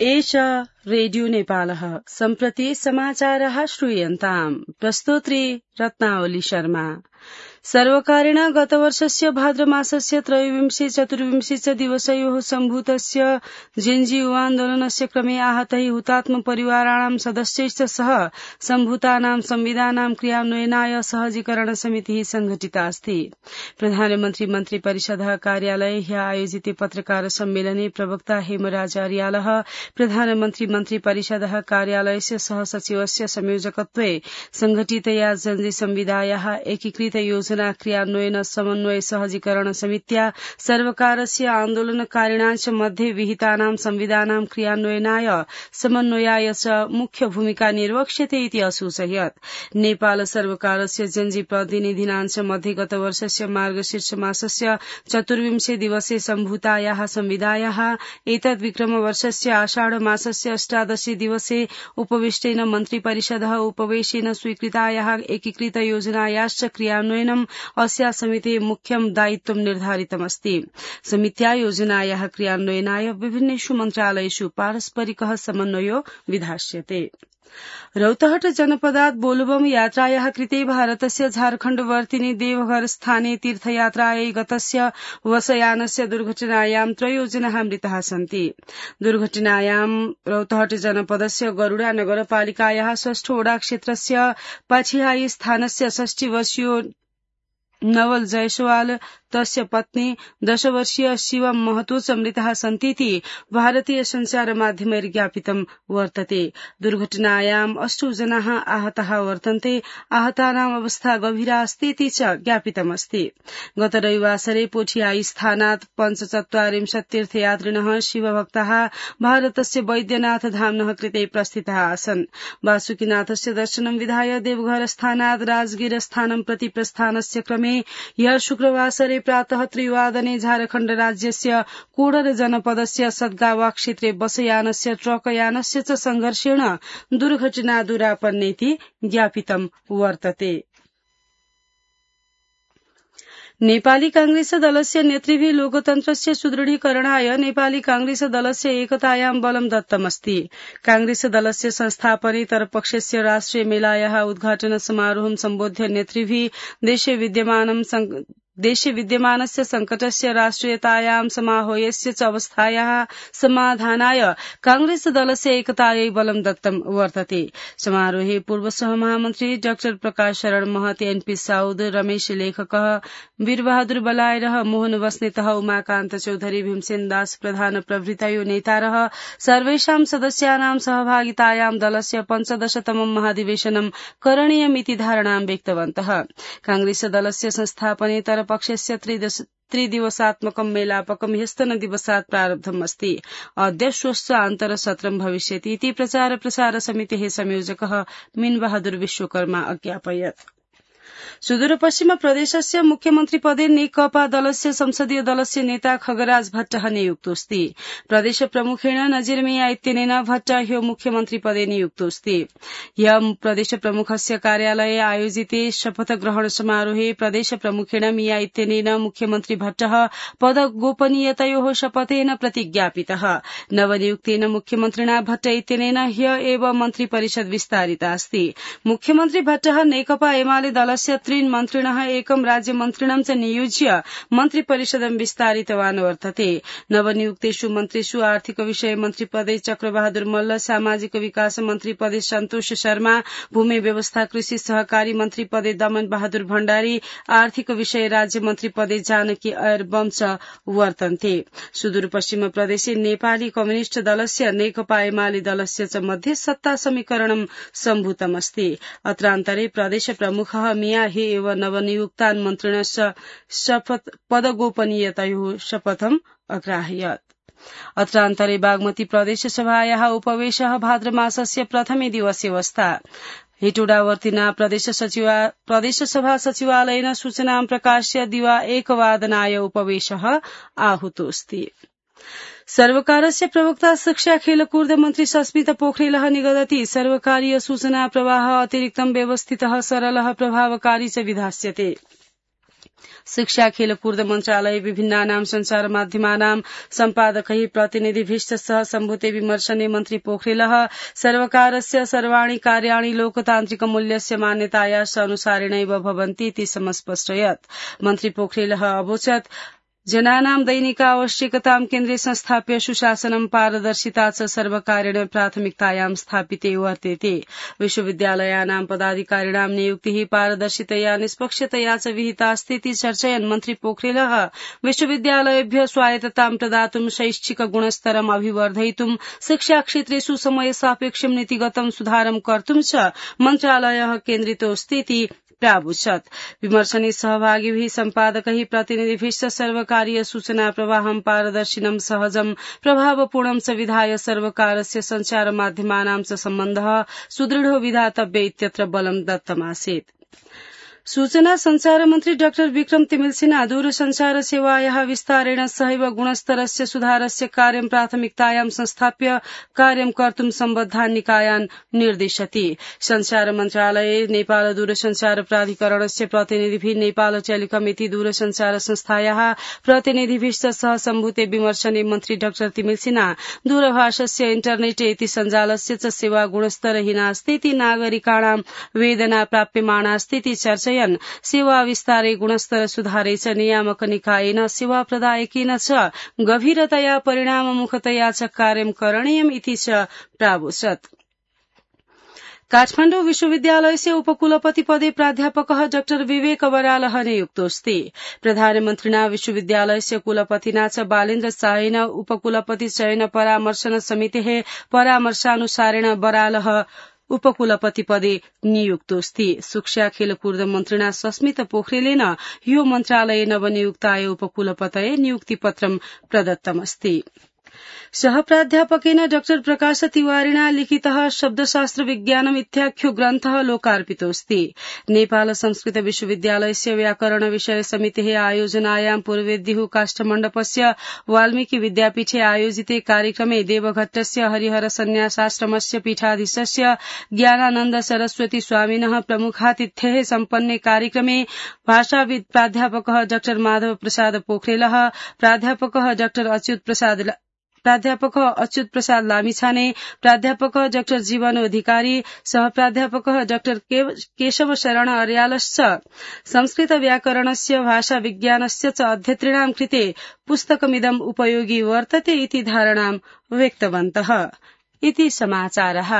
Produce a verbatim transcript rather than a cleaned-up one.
एष रेडियो नेपालः सम्प्रति समाचारः श्रूयन्ताम् प्रस्तोत्री रत्नावली शर्मा। सर्वकारेण गतवर्षस्य भाद्रमासस्य त्रयोविंशे चतुर्विंशे च दिवसयोः सम्भूतस्य जिन्जी युवान्दोलनस्य क्रमे आहतैः हुतात्म परिवाराणां सदस्यैश्च सह सम्भूतानां संविधानां क्रियान्वयनाय सहजीकरण समितिः संघटिता अस्ति। प्रधानमन्त्री मन्त्री परिषदः कार्यालये ह्यः आयोजिते पत्रकार सम्मेलने प्रवक्ता हेमराज अर्यालः प्रधानमन्त्री मन्त्री परिषदः कार्यालयस्य सह सचिवस्य संयोजकत्वे संघटितया जन्जी संविदायाः एकीकृत योजना क्रियान्वयन समन्वय सहजीकरण समित्या सर्वकारस्य आन्दोलनकारिणां च मध्ये विहितानां संविधानां क्रियान्वयनाय समन्वयाय च मुख्य भूमिका निर्वक्ष्यते इति असूचयत्। नेपाल सर्वकारस्य जन्जी प्रतिनिधीनां च मध्ये गतवर्षस्य मार्गशीर्ष मासस्य चतुर्विंशे दिवसे सम्भूतायाः संविदायाः एतद् विक्रमवर्षस्य आषाढ मासस्य अष्टादशे दिवसे उपविष्टेन मन्त्रिपरिषदः उपवेशेन स्वीकृतायाः एकीकृत योजनायाश्च क्रियान्वयनम् अस्या समितेः मुख्यं दायित्वं निर्धारितमस्ति। समित्या योजनायाः क्रियान्वयनाय विभिन्नेषु मन्त्रालयेषु पारस्परिकः समन्वयो विधास्यते। रौतहट जनपदात् बोलबम यात्रायाः कृते भारतस्य झारखण्डवर्तिनि देवघर स्थाने तीर्थयात्रायै गतस्य बसयानस्य दुर्घटनायां त्रयो जनाः मृताः सन्ति। दुर्घटनायां रौतहट जनपदस्य गरुडा नगरपालिकायाः षष्ठोडा क्षेत्रस्य पाछिहाई स्थानस्य षष्टि वर्षीयो नवल जयसवाल तस्य पत्नी दशवर्षीय शिवम महतो च मृताः सन्तीति भारतीय संचार माध्यमैः ज्ञापितं वर्तते। दुर्घटनायाम् अष्टौ जनाः आहताः वर्तन्ते। आहतानाम् अवस्था गभीरा अस्तीति च ज्ञापितमस्ति। गत रविवासरे पोठियाई स्थानात् पञ्चचत्वारिंशत् तीर्थयात्रिणः शिवभक्ताः भारतस्य वैद्यनाथ धाम्नः कृते प्रस्थिताः आसन्। वासुकीनाथस्य दर्शनं विधाय देवघर स्थानात् राजगीर स्थानं प्रति प्रस्थानस्य क्रमे ह्यः शुक्रवासरे प्रातः त्रिवादने झारखण्ड राज्यस्य कोडर जनपदस्य सद्गावा क्षेत्रे बसयानस्य ट्रकयानस्य च संघर्षेण दुर्घटना दुरापन्नेति ज्ञापितं वर्तते। नेपाली कांग्रेस दलस्य नेतृभिः लोकतन्त्रस्य सुदृढीकरणाय नेपाली कांग्रेस दलस्य एकतायां बलं दत्तमस्ति। कांग्रेस दलस्य संस्थापनेतर पक्षस्य राष्ट्रिय मेलायाः उद्घाटन समारोहं सम्बोध्य नेतृभिः देशे विद्यमानं देशे विद्यमानस्य संकटस्य राष्ट्रियतायां समाहोयस्य च अवस्थायाः समाधानाय कांग्रेस दलस्य एकतायै बलं दत्तं वर्तते। समारोहे पूर्व सहमहामन्त्री डाक्टर प्रकाश शरण महत, एनपी साउद, रमेश लेखकः, वीरबहादुर बलायरः, मोहन बस्नेतः, उमाकान्त चौधरी, भीमसेन दास प्रधान प्रभृतयो नेतारः सर्वेषां सदस्यानां सहभागितायां दलस्य पञ्चदशतमं महाधिवेशनं करणीयमिति धारणां व्यक्तवन्तः। कांग्रेस दलस्य संस्थापनेतर पक्षस्य त्रिदिवसात्मकं मेलापकं ह्यस्तनदिवसात् प्रारब्धम् अस्ति। अद्य श्वश्च आन्तरसत्रं भविष्यति इति प्रचार प्रसार समितेः संयोजकः मीनबहादुर विश्वकर्मा अज्ञापयत्। सुदूर पश्चिम प्रदेशस्य मुख्यमन्त्री पदे नेकपा दलस्य संसदीय दलस्य नेता खगराज भट्टः नियुक्तोऽस्ति। प्रदेश प्रमुखेण नजीर मिया इत्यनेन भट्ट ह्यो मुख्यमन्त्री पदे नियुक्तोऽस्ति। ह्यः प्रदेश प्रमुखस्य कार्यालये आयोजिते शपथ ग्रहण समारोहे प्रदेश प्रमुखेण मिया इत्यनेन मुख्यमन्त्री भट्टः पद गोपनीयतयोः शपथेन प्रतिज्ञापितः। नवनियुक्तेन मुख्यमन्त्रिणा भट्ट इत्यनेन ह्यः एव मन्त्री परिषद विस्तारिता अस्ति। मुख्यमन्त्री भट्टः नेकपा एमाले दलस्य त्रीन् मन्त्रिणः एकं राज्यमन्त्रिणं च नियोज्य मन्त्रिपरिषदं विस्तारितवान् वर्तते। नवनियुक्तेषु मन्त्रिषु आर्थिक विषय मन्त्रिपदे चक्रबहादुर मल्ल, सामाजिक विकास मन्त्रिपदे सन्तोष शर्मा, भूमि व्यवस्था कृषि सहकारी मन्त्रिपदे दमन बहादुर भण्डारी, आर्थिक विषय राज्य मन्त्रिपदे जानकी अयर बम च वर्तन्ते। सुदूरपश्चिम प्रदेशे नेपाली कम्युनिष्ट दलस्य नेकपा एमाले दलस्य च मध्ये सत्ता समीकरणं सम्भूतमस्ति। अत्रान्तरे प्रदेश प्रमुखः मिया हि एव नवनियुक्तान् मन्त्रिणश्च शपथ पदगोपनीयतयोः शपथम् अग्राह्यत्। अत्रान्तरे बागमती प्रदेश सभायाः उपवेशः भाद्रमासस्य प्रथमे दिवसे अवस्था। हेटोडावर्तिना प्रदेश सचिवा प्रदेश सभा सचिवालयेन सूचनां प्रकाश्य दिवा एकवादनाय उपवेशः आहूतोऽस्ति। सर्वकारस्य प्रवक्ता शिक्षा खेलकूद मन्त्री सस्मिता पोखरेलः निगदति सर्वकारीय सूचना प्रवाह अतिरिक्तं व्यवस्थितः सरलः प्रभावकारी च विधास्यते। शिक्षा खेलकूद मन्त्रालय विभिन्नानां संचार माध्यमानां सम्पादकैः प्रतिनिधिभिश्च सह सम्भूते विमर्शने मन्त्री पोखरेलः सर्वकारस्य सर्वाणि कार्याणि लोकतान्त्रिकमूल्यस्य मान्यतायाः अनुसारेणैव भवन्ति इति समस्पष्टयत्। मन्त्री पोखरेलः अवोचत् जनानां दैनिकावश्यकतां केन्द्रे संस्थाप्य सुशासनं पारदर्शिता च सर्वकारेण प्राथमिकतायां स्थापिते वर्तेते। विश्वविद्यालयानां पदाधिकारिणां नियुक्तिः पारदर्शितया निष्पक्षतया च विहितास्ति इति चर्चयन् मन्त्री पोखरेलः विश्वविद्यालयेभ्यः स्वायत्ततां प्रदातुं शैक्षिक गुणस्तरम् अभिवर्धयितुं शिक्षाक्षेत्रे सुसमय सापेक्षं नीतिगतं सुधारं कर्तुं च मन्त्रालयः केन्द्रितोऽस्ति इति प्रावुचत्। विमर्शने सहभागिभिः सम्पादकैः प्रतिनिधिभिश्च सर्वकारीय सूचना प्रवाहं पारदर्शिनं सहजं प्रभावपूर्णं च विधाय सर्वकारस्य संचार माध्यमानां च सम्बन्धः सुदृढो विधातव्य इत्यत्र बलं दत्तमासीत्। सूचना संचार मन्त्री डाक्टर विक्रम तिमिलसिन्हा दूरसंचार सेवायाः विस्तारेण सहैव गुणस्तरस्य सुधारस्य कार्यं प्राथमिकतायां संस्थाप्य कार्यं कर्तुं सम्बद्धान् निकायान् निर्दिशति। संचार मन्त्रालये नेपाल दूरसंचार प्राधिकरणस्य प्रतिनिधिभिः नेपाल टेलिकम इति दूरसंचार संस्थायाः प्रतिनिधिभिश्च सह सम्भूते विमर्शने मन्त्री डाक्टर तिमिलसिन्हा दूरभाषस्य इन्टरनेट इति सञ्जालस्य च सेवा गुणस्तरहीनास्ति इति नागरिकाणां वेदना प्राप्यमाणास्ति इति चर्चयन् सेवा विस्तारे गुणस्तर सुधारे च नियामक निकायेन सेवा प्रदायकेन च गभीरतया परिणाममुखतया च कार्यं करणीयम् इति च प्रावोचत्। काठमाण्डु विश्वविद्यालयस्य उपकुलपति पदे प्राध्यापकः डाक्टर विवेक बरालः नियुक्तोऽस्ति। प्रधानमन्त्रिणा विश्वविद्यालयस्य कुलपतिना च बालेन्द्र शाहेन उपकुलपति चयन परामर्शन समितेः परामर्शानुसारेण बरालः उपकुलपति पदे नियुक्तोऽस्ति। शिक्षा खेलकूद मन्त्रिणा सस्मित पोखरेलेन यो मन्त्रालये नवनियुक्ताय उपकुलपतये नियुक्तिपत्रं प्रदत्तमस्ति। सह प्राध्यापकेन डाक्टर प्रकाश तिवारिणा लिखितः शब्दशास्त्र विज्ञानम् इत्याख्यो ग्रन्थः लोकार्पितोऽस्ति। नेपाल संस्कृत विश्वविद्यालयस्य व्याकरण विषय समितेः आयोजनायां पूर्वेद्युः काष्ठमण्डपस्य वाल्मीकि विद्यापीठे आयोजिते कार्यक्रमे देवघट्टस्य हरिहर सन्न्यासाश्रमस्य पीठाधीशस्य ज्ञानानन्द सरस्वती स्वामिनः प्रमुखातिथ्येः सम्पन्ने कार्यक्रमे भाषाविद् प्राध्यापकः डाक्टर माधव प्रसाद पोखरेलः, प्राध्यापकः डाक्टर अच्युत प्रसाद प्राध्यापकः अच्युत प्रसाद लामिछाने, प्राध्यापकः डाक्टर जीवन अधिकारी, सह प्राध्यापकः डाक्टर केशव शरण अर्यालश्च संस्कृत व्याकरणस्य भाषा विज्ञानस्य च अध्येतॄणां कृते पुस्तकमिदम् उपयोगी वर्तते इति धारणां व्यक्तवन्तः। इति समाचारः।